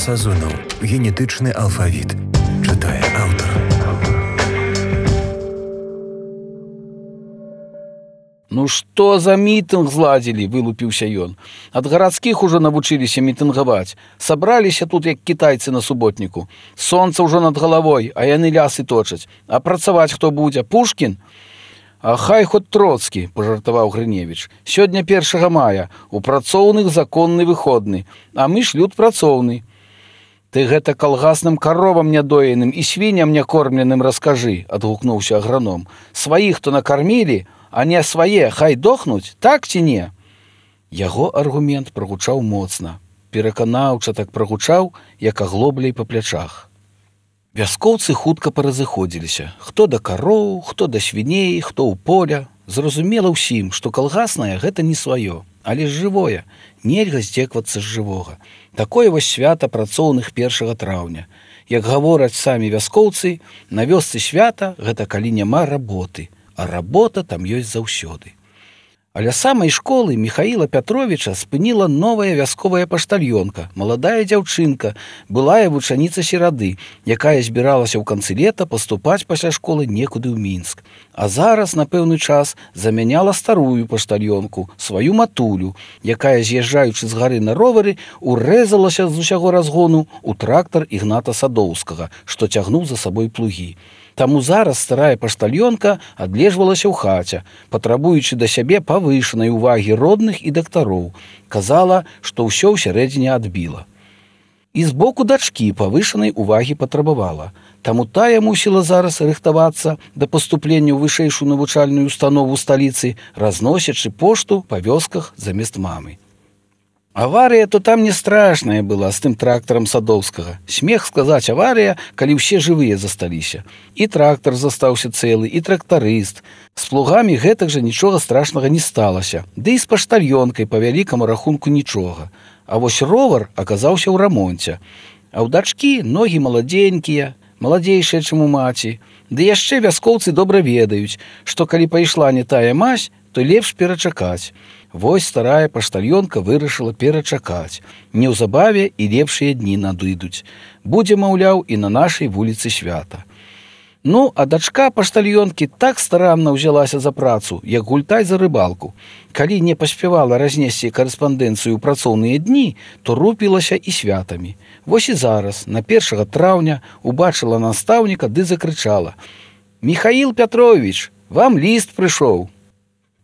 Сазонаў. Генетычны алфавіт. Чытае аўтар. «Ну што за мітынг зладзілі?» – вылупіўся ён. «Ад гарадскіх ужо навучыліся мітынгаваць. Сабраліся тут, як кітайцы на суботніку. Сонца ўжо над галавой, а яны лясы точаць. А працаваць хто будзе? Пушкін? А хай хоць Троцкі», – пажартаваў Грыневіч. «Сёння 1 мая, у працоўных законны выходны, а мы ж люд працоўны». «Ты гэта калгасным каровам нядоеным і свінням някормленым раскажы», – адгукнуўся аграном. «Сваіх то накармілі, а не свае хай дохнуць, так ці не?» Яго аргумент прагучаў моцна. Пераканаўча так прагучаў, як аглобляй па плячах. Вяскоўцы хутка паразыходзіліся. Хто да кароў, хто да свіней, хто ў поля. Зразумела ўсім, што калгаснае гэта не сваё, але ж жывое. Нельга здзеквацца з жывога. Такое вось свята працоўных 1 траўня. Як гавораць самі вяскоўцы, на вёсцы свята гэта калі няма работы. А работа там ёсць заўсёды. А ля самай школы Міхаіла Пятровіча спыніла новая вясковая паштальёнка, маладая дзяўчынка, былая вучаніца серады, якая збіралася ў канцы лета паступаць пасля школы некуды ў Мінск. А зараз на пэўны час замяняла старую паштальёнку, сваю матулю, якая, з'язджаючы з гары на ровары, урэзалася з усяго разгону ў трактар Ігната Садоўскага, што цягнуў за сабой плугі. Таму зараз старая паштальёнка адлежвалася ў хаце, патрабуючы да сябе павышанай увагі родных і дактароў. Казала, што ўсё ўсярэдзіне адбіла. І з боку дачкі павышанай увагі патрабавала. Таму тая мусіла зараз рыхтавацца да паступлення ў вышэйшую навучальную установу сталіцы, разносячы пошту па вёсках замест мамы. Аварыя то там не страшная была з тым трактарам Садоўскага. Смех сказаць аварыя, калі ўсе жывыя засталіся. І трактар застаўся цэлы, і трактарыст. З плугамі гэтак жа нічога страшнага не сталася. Ды і з паштальёнкай па вялікаму рахунку нічога. А вось ровар аказаўся ў рамонце. А ў дачкі ногі маладзенькія, маладзейшыя, чым у маці. Ды яшчэ вяскоўцы добра ведаюць, што калі пайшла не тая мазь, то лепш перачакаць. Вось старая паштальёнка вырашыла перачакаць. Неўзабаве і лепшыя дні надыдуць. Будзе, маўляў, і на нашай вуліцы свята. Ну, а дачка паштальёнкі так старанна ўзялася за працу, як гультай за рыбалку. Калі не паспявала разнесці карэспандэнцыю ў працоўныя дні, то рупілася і святамі. Вось і зараз, на 1 траўня, убачыла настаўніка ды закрычала: «Міхаіл Пятровіч, вам ліст прыйшоў!»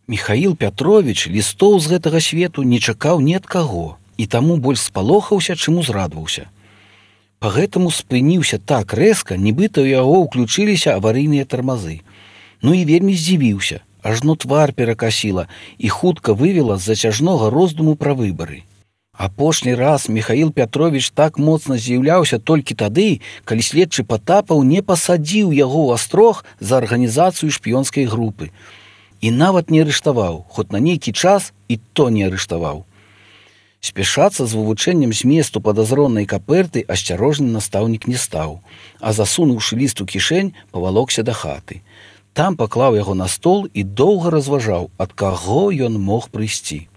Міхаіл Пятровіч лістоў з гэтага свету не чакаў ні ад каго, і таму больш спалохаўся, чым узрадваўся. Па гэтаму спыніўся так рэзка, нібыта ў яго ўключыліся аварыйныя тармазы. Ну і вельмі здзівіўся, ажно твар перакасіла і хутка вывела з зацяжнога роздуму пра выбары. Апошні раз Міхаіл Пятровіч так моцна з'яўляўся толькі тады, калі следчы Патапаў не пасадзіў яго ў астрог за арганізацыю шпіёнскай групы. І нават не арыштаваў, хоць на нейкі час і то не арыштаваў. Спяшацца з вывучэннем зместу падазронай каперты асцярожны настаўнік не стаў, а засунуўшы ліст у кішэнь, павалокся да хаты. Там паклаў яго на стол і доўга разважаў, ад каго ён мог прыйсці.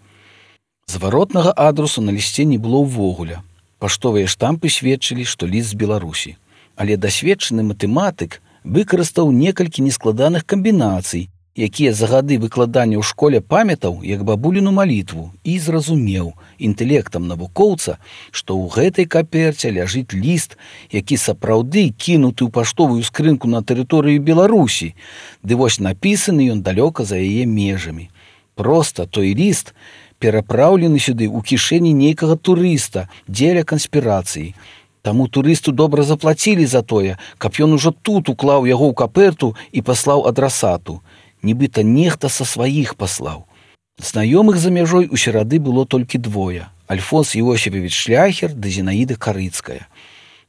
Зваротнага адрасу на лісце не было ўвогуле. Паштовыя штампы сведчылі, што ліст з Беларусі. Але дасведчаны матэматык выкарыстаў некалькі нескладаных камбінацый, якія за гады выкладання ў школе памятаў як бабуліну малітву, і зразумеў інтэлектам навукоўца, што ў гэтай каперце ляжыць ліст, які сапраўды кінуты ў паштовую скрынку на тэрыторыі Беларусі, ды вось напісаны ён далёка за яе межамі. Проста той ліст перапраўлены сюды ў кішэні нейкага турыста дзеля канспірацыі. Таму турысту добра заплацілі за тое, каб ён ужо тут уклаў яго ў каперту і паслаў адрасату. Нібыта нехта са сваіх паслаў. Знаёмых за мяжой у серады было толькі двое: Альфонс Іосіфавіч Шляхер ды Зінаіда Карыцкая.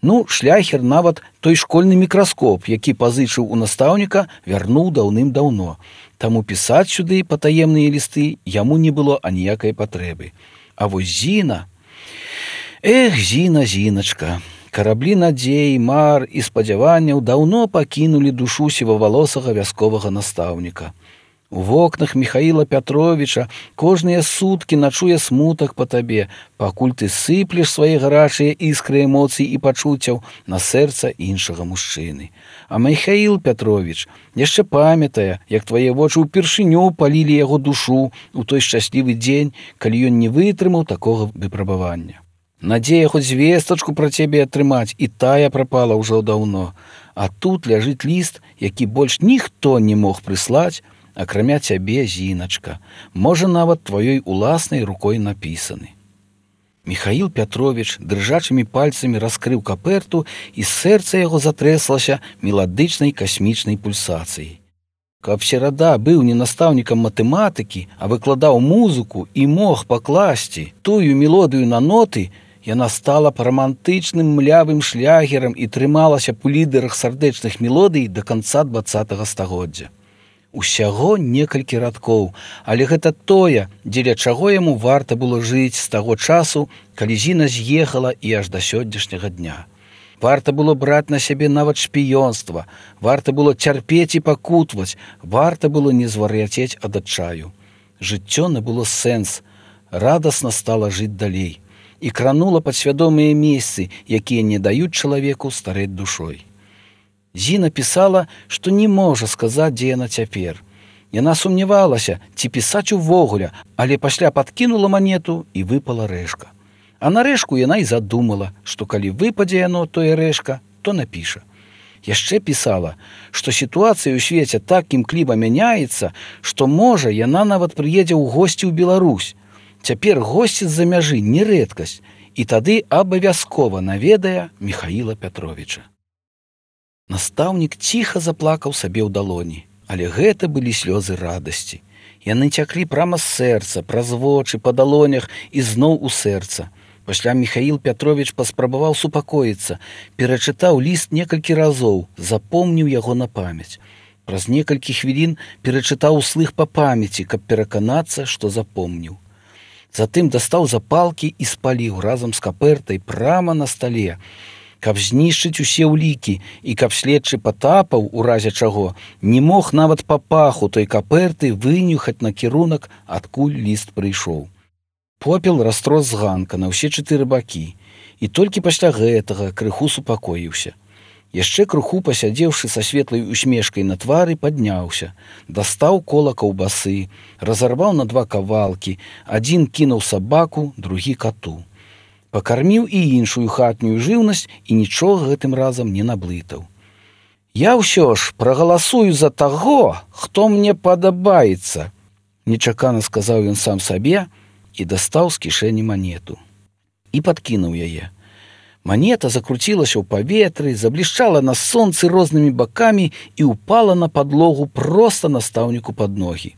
Ну, Шляхер нават той школьны мікраскоп, які пазычыў у настаўніка, вярнуў даўным-даўно. Таму пісаць сюды патаемныя лісты яму не было аніякай патрэбы. А вось Зіна... Эх, Зіна, Зіначка... Караблі надзей, мар і спадзяванняў даўно пакінулі душу сівавалосага вясковага настаўніка. У вокнах Михаіла Пятровича кожныя суткі начуе смутак па табе, пакуль ты сыплеш свае гарачыя іскры эмоцый і пачуццяў на сэрца іншага мужчыны. А Михаіл Пятрович яшчэ памятае, як твае вочы ўпершыню палілі яго душу у той шчаслівы дзень, калі ён не вытрымаў такога выпрабавання. Надзея хоць звестачку пра цябе атрымаць, і тая прапала ўжо даўно. А тут ляжыць ліст, які больш ніхто не мог прыслаць, акрамя цябе, Зіначка, можа, нават тваёй уласнай рукой напісаны. Михаіл Пятрович дрыжачымі пальцамі раскрыў каперту, і сэрца яго затрэслася меладычнай касмічнай пульсацыяй. Каб серада быў не настаўнікам матэматыкі, а выкладаў музыку і мог пакласці тую мелодыю на ноты, яна стала б рамантычным млявым шлягерам і трымалася б у лідарах сардэчных мелодый да канца 20-го стагоддзя. Усяго некалькі радкоў, але гэта тое, дзеля чаго яму варта было жыць з таго часу, калі Зіна з'ехала і аж да сённяшняга дня. Варта было браць на сябе нават шпіёнства, варта было цярпець і пакутваць, варта было не звар'яцець ад адчаю. Жыццё набыло сэнс, радасна стала жыць далей і кранула падсвядомыя месцы, якія не даюць чалавеку старэць душой. Зіна пісала, што не можа сказаць, дзе яна цяпер. Яна сумнявалася, ці пісаць увогуле, але пасля падкінула манету і выпала рэшка. А на рэшку яна і задумала, што калі выпадзе яно, тое рэшка, то напіша. Яшчэ пісала, што сітуацыя ў свеце так імкліва мяняецца, што, можа, яна нават прыедзе ў госці ў Беларусь. Цяпер госці з-за мяжы не рэдкасць, і тады абавязкова наведае Михаіла Пятровича. Настаўнік ціха заплакаў сабе ў далоні, але гэта былі слёзы радасці. Яны цяклі прама з сэрца, праз вочы, па далонях і зноў у сэрца. Пасля Михаіл Пятрович паспрабаваў супакоіцца, перачытаў ліст некалькі разоў, запомніў яго на памяць. Праз некалькі хвілін перачытаў услых па памяці, каб пераканацца, што запомніў. Затым дастаў запалкі і спаліў разам з капертай прама на стале, каб знішчыць усе ўлікі і каб следчы Патапаў, у разе чаго, не мог нават па паху той каперты вынюхаць накірунак, адкуль ліст прыйшоў. Попел растрос з ганка на ўсе 4 бакі, і толькі пасля гэтага крыху супакоіўся. Яшчэ крыху пасядзеўшы са светлай усмешкай на твары, падняўся, дастаў кола каўбасы, разарваў на 2 кавалкі, адзін кінуў сабаку, другі кату. Пакарміў і іншую хатнюю жыўнасць і нічога гэтым разам не наблытаў. «Я ўсё ж прагаласую за таго, хто мне падабаецца», нечакана сказаў ён сам сабе і дастаў з кішэні манету. І падкінуў яе. Манета закруцілася ў паветры, заблішчала на сонцы рознымі бакамі і ўпала на падлогу проста настаўніку пад ногі.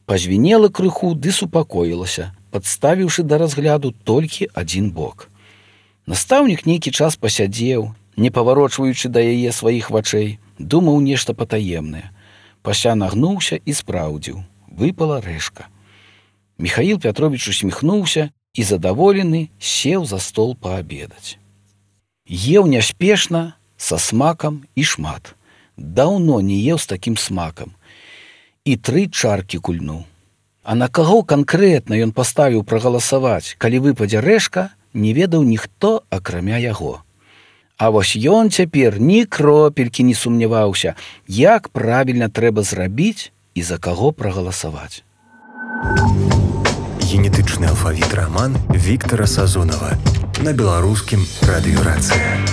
Пазвінела крыху ды супакоілася, падставіўшы да разгляду толькі адзін бок. Настаўнік нейкі час пасядзеў, не паварочваючы да яе сваіх вачэй, думаў нешта патаемнае. Пасля нагнуўся і спраўдзіў. Выпала рэшка. Михаіл Пятрович усміхнуўся і, задаволены, сеў за стол паабедаць. Еў няспешна, са смакам і шмат. Даўно не еў з такім смакам. І 3 чаркі кульнуў. А на каго канкрэтна ён паставіў прагаласаваць, калі выпадзе рэшка, не ведаў ніхто, акрамя яго. А вось ён цяпер ні кропелькі не сумняваўся, як правільна трэба зрабіць і за каго прагаласаваць. Генетычны алфавіт раман Віктара Сазонава на беларускім радыёрацыі.